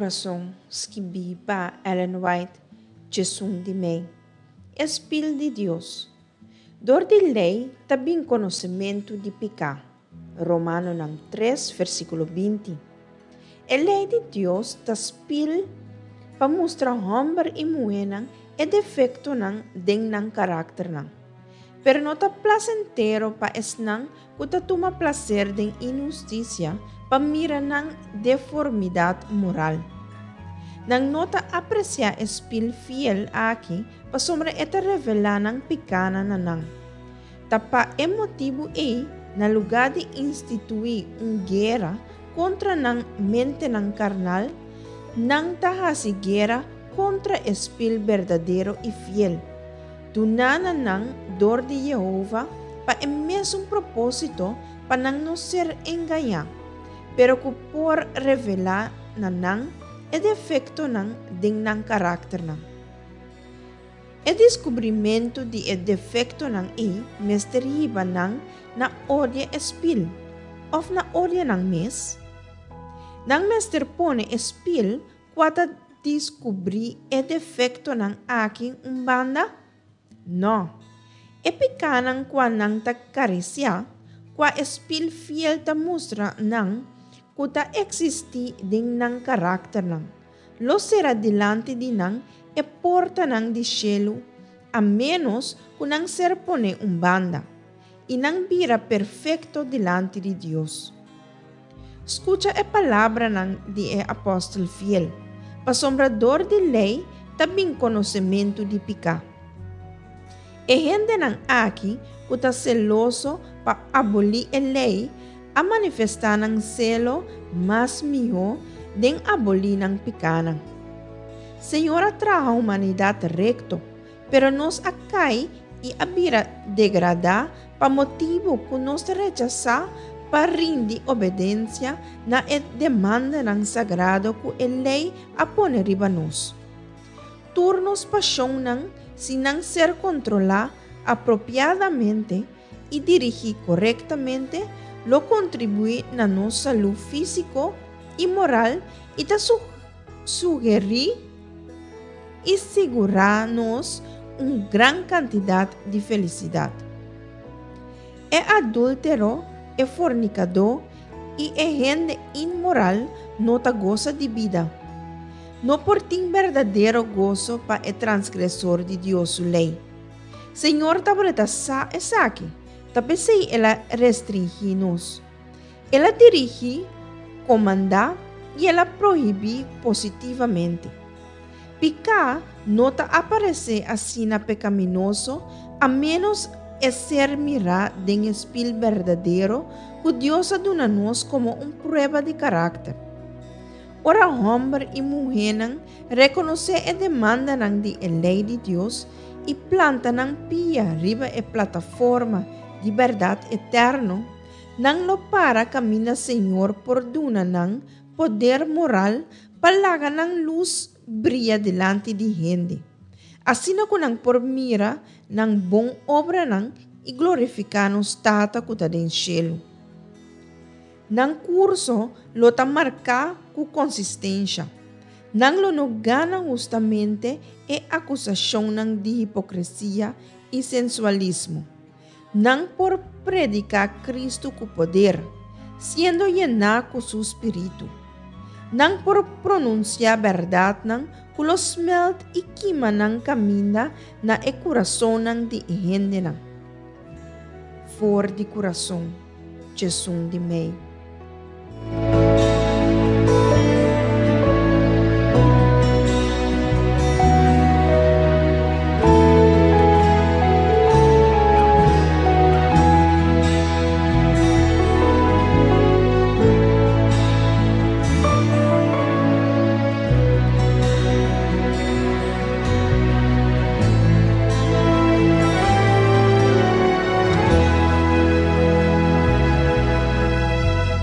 Kurason, skibí pa Ellen White, 11 di mei. E spil di Dios. Dor di lei ta bin konosementu di piká. Romanonan 3, versíkulo 20. E lei di Dios ta spil pa mustra hòmber i muhénan e defektonan den nan karakternan. Pero no ta plasentero pa esnan ku ta tuma plaser den inhustisia pa mira nan deformidat moral. Nan no ta apresiá e spil fiel aki pasobra e ta revelá nan pikánan na nan. Ta pa e motibu ei, na lugá di instituí un guera kontra nan mentenan karnal, nan ta hasi guera kontra e spil berdadero i fiel, duná na nan dor di Yehova pa e mesun propósito pa nan no ser engañá, pero ku por revelá na nan e defektonan den nan karakternan. E deskubrimentu di e defektonan ei mester hiba nan na odia e spil òf na odia nan mes. Nan mester pone e spil kua ta diskubrí e defektonan aki un banda? Nò. E pikánan kua nan ta karisiá, kua e spil fiel ta mustra nan ku ta eksistí den nan karakternan, lo sera dilanti di nan e portanan di shelu a ménos ku nan ser poné un banda, i nan bira perfekto dilanti di Dios. Skucha e palabranan di e apòstel fiel, pasobra dor di lei ta bin konosementu di piká. E hendenan aki ku ta seloso pa abolí e lei a manifestá nan selo mas mihó den abolí nan pikánan. Señor a traha humanidat rekto, pero nos a kai i a bira degradá pa motibu ku nos ta rechasá pa rindi obedensia na e demandanan sagrado ku e lei a pone riba nos. Tur nos pashonnan, si nan ser kontrolá apropiadamente i dirigí korektamente, lo kontribuí na nos salú físiko i moral i ta sugerí i sigurá nos un gran kantidat di felisidat. E adúltero, e fornikadó i e hende inmoral no ta gosa di bida. No por tin berdadero goso pa e transgresor di Dios su lei. Señor tabata sa esaki, ta p'esei el a restringí nos. El a dirigí, komandá i el a prohibí positivamente. Piká no ta aparesé asina pekaminoso a ménos e ser mirá den e spil berdadero ku Dios a duna nos komo un prueba di karakter. Ora hòmber i muhénan rekonosé e demandanan di e lei di Dios i planta nan pia riba e plataforma di bèrdat eterno, Nan lo para kaminda Señor por duna nan poder moral pa laga nan lus bria dilanti di hende, asina ku nan por mira nan bon obranan i glorifiká nos Tata ku ta den shelu. Nan kurso lo ta marká ku konsistensha. Nan lo no gana hustamente e akusashonnan di hipokresia i sensualismo. Nan por prediká Kristu ku poder, siendo yená ku su spiritu. Nan por pronunsiá bèrdatnan ku lo smèlt i kima nan kaminda na e kurasonnan di e hendenan. For di kurason, Djesun di mei.